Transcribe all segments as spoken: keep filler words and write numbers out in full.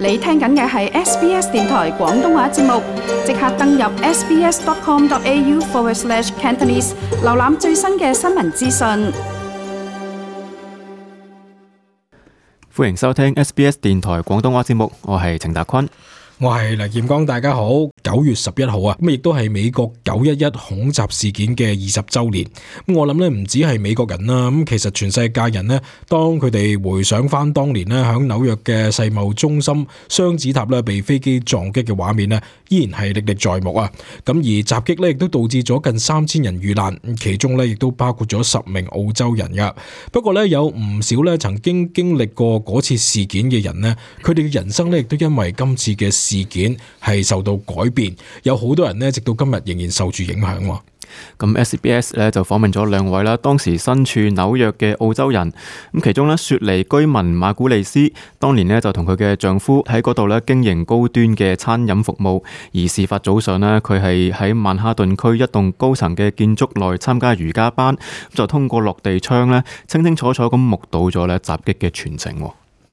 你聽緊嘅係 S B S 電台廣東話節目，即刻登入 sbs.com.au forward slash Cantonese， 瀏覽最新嘅新聞資訊。歡迎收聽 S B S 電台廣東話節目，我係程達坤。我係黎劍剛，大家好。九月十一號啊，咁亦都係美國九一一恐襲事件嘅二十週年。咁我諗咧，唔止係美國人啦，咁其實全世界人呢，當佢哋回想翻當年呢，響紐約嘅世貿中心雙子塔咧被飛機撞擊嘅畫面呢，依然係歷歷在目啊。咁而襲擊咧亦都導致咗近三千人遇難，其中咧亦都包括咗十名澳洲人噶。不過咧有唔少咧曾經經歷過嗰次事件嘅人呢，佢哋嘅人生咧亦都因為今次嘅事件係受到改變，有好多人呢，直到今日仍然受住影響。咁 S B S 咧就訪問咗兩位啦，當時身處紐約嘅澳洲人。咁其中咧雪梨居民馬古利斯，當年咧就同佢嘅丈夫喺嗰度咧經營高端嘅餐飲服務。而事發早上咧，佢係喺曼哈頓區一棟高層嘅建築內參加瑜伽班，就通過落地窗咧，清清楚楚咁目睹咗咧襲擊嘅全程。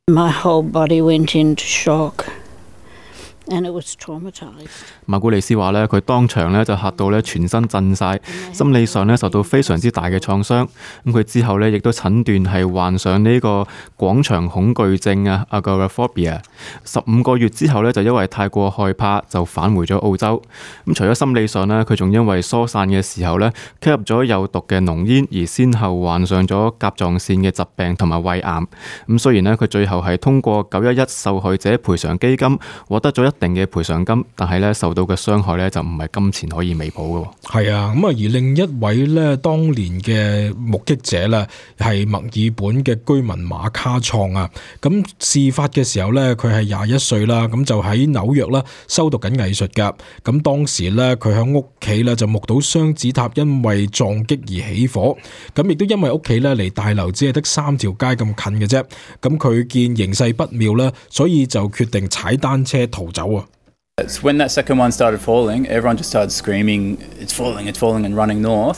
My whole body went into shock.And it was traumatized. 馬古利斯話咧，佢當場咧就嚇到咧全身震晒，心理上咧受到非常之大嘅創傷。咁佢之後咧亦都診斷係患上呢個廣場恐懼症啊 agoraphobia。十五個月之後咧就因為太過害怕就返回咗澳洲。咁除咗心理上咧，佢仲因為疏散嘅時候咧吸入咗有毒嘅濃煙，而先後患上咗甲狀腺嘅疾病同埋胃癌。咁雖然咧佢最後係通過九一一受害者賠償基金獲得咗一定嘅賠償金，但係咧受到嘅傷害咧就唔係金錢可以彌補嘅。係啊，咁啊而另一位咧當年嘅目擊者咧係墨爾本嘅居民馬卡創啊。咁事發嘅時候咧佢係廿一歲啦，咁就喺紐約啦修讀緊藝術噶。咁當時咧佢喺屋企咧就目睹雙子塔因為撞擊而起火，咁亦都因為屋企咧離大樓只係得三條街咁近嘅啫。咁佢見形勢不妙啦，所以就決定踩單車逃走啊。When that second one started falling, everyone just started screaming, "It's falling, it's falling," and running north.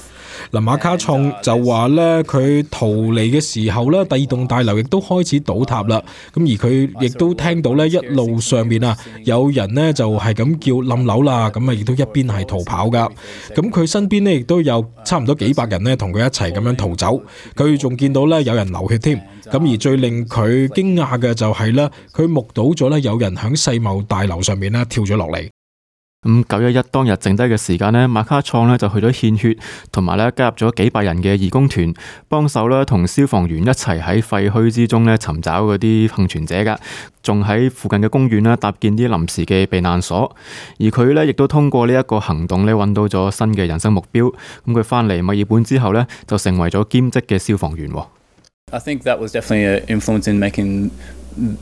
嗱，馬卡創就話咧，佢逃離嘅時候咧，第二棟大樓亦都開始倒塌啦。咁而佢亦都聽到咧，一路上面啊，有人咧就係咁叫冧樓啦。咁啊，亦都一邊係逃跑噶。咁佢身邊咧亦都有差唔多幾百人咧同佢一齊咁樣逃走。佢仲見到咧有人流血添。咁而最令佢驚訝嘅就係咧，佢目睹咗咧有人響世貿大樓上面咧跳咗落嚟。咁九一一當日剩低嘅時間呢，馬卡創呢就去咗獻血，同埋咧加入咗幾百人嘅義工團，幫手咧同消防員一齊喺廢墟之中咧尋找嗰啲幸存者噶，仲喺附近嘅公園咧搭建啲臨時嘅避難所。而佢咧亦都通過呢一個行動咧揾到咗新嘅人生目標。咁佢翻嚟墨爾本之後咧，就成為咗兼職嘅消防員。I think that was definitely an influence in making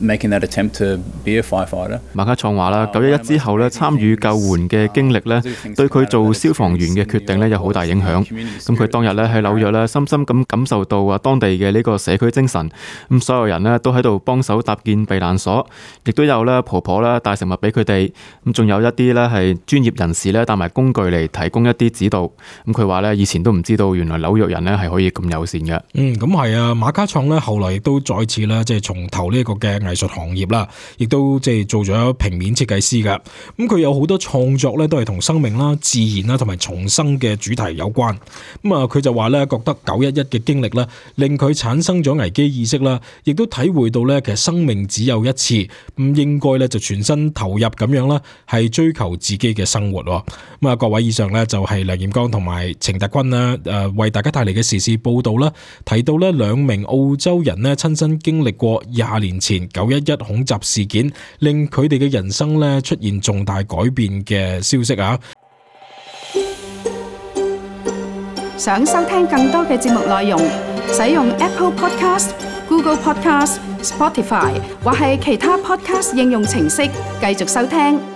making that attempt to be a firefighter. 馬卡創話啦，九一一之後咧，參與救援嘅經歷咧，對佢做消防員嘅決定咧有好大影響。咁佢當日咧喺紐約咧，深深咁感受到啊當地嘅呢個社區精神。咁所有人咧都喺度幫手搭建避難所，亦都有咧婆婆咧帶食物俾佢哋。咁仲有一啲咧係專業人士咧帶埋工具嚟提供一啲指導。咁佢話咧以前都唔知道原來紐約人咧係可以咁友善嘅。嗯，咁係啊，馬卡創咧後來亦都再次咧即係從頭呢個嘅藝術行業啦，亦都即係做咗平面設計師噶。咁佢有好多創作咧，都係同生命啦、自然啦同埋重生嘅主題有關。咁啊，佢就話咧，覺得九一一嘅經歷咧，令佢產生咗危機意識啦，亦都體會到咧，其實生命只有一次，咁應該咧就全身投入咁樣啦，係追求自己嘅生活。咁啊，各位以上咧就係梁彥剛同埋程達坤啦，誒為大家帶嚟嘅時事報道啦，提到咧兩名澳洲人咧親身經歷過廿年前九一一恐襲事件，令佢哋嘅人生咧出現重大改變嘅消息啊！想收聽更多嘅節目內容，使用 Apple Podcast、Google Podcast、Spotify 或係其他 Podcast 應用程式繼續收聽。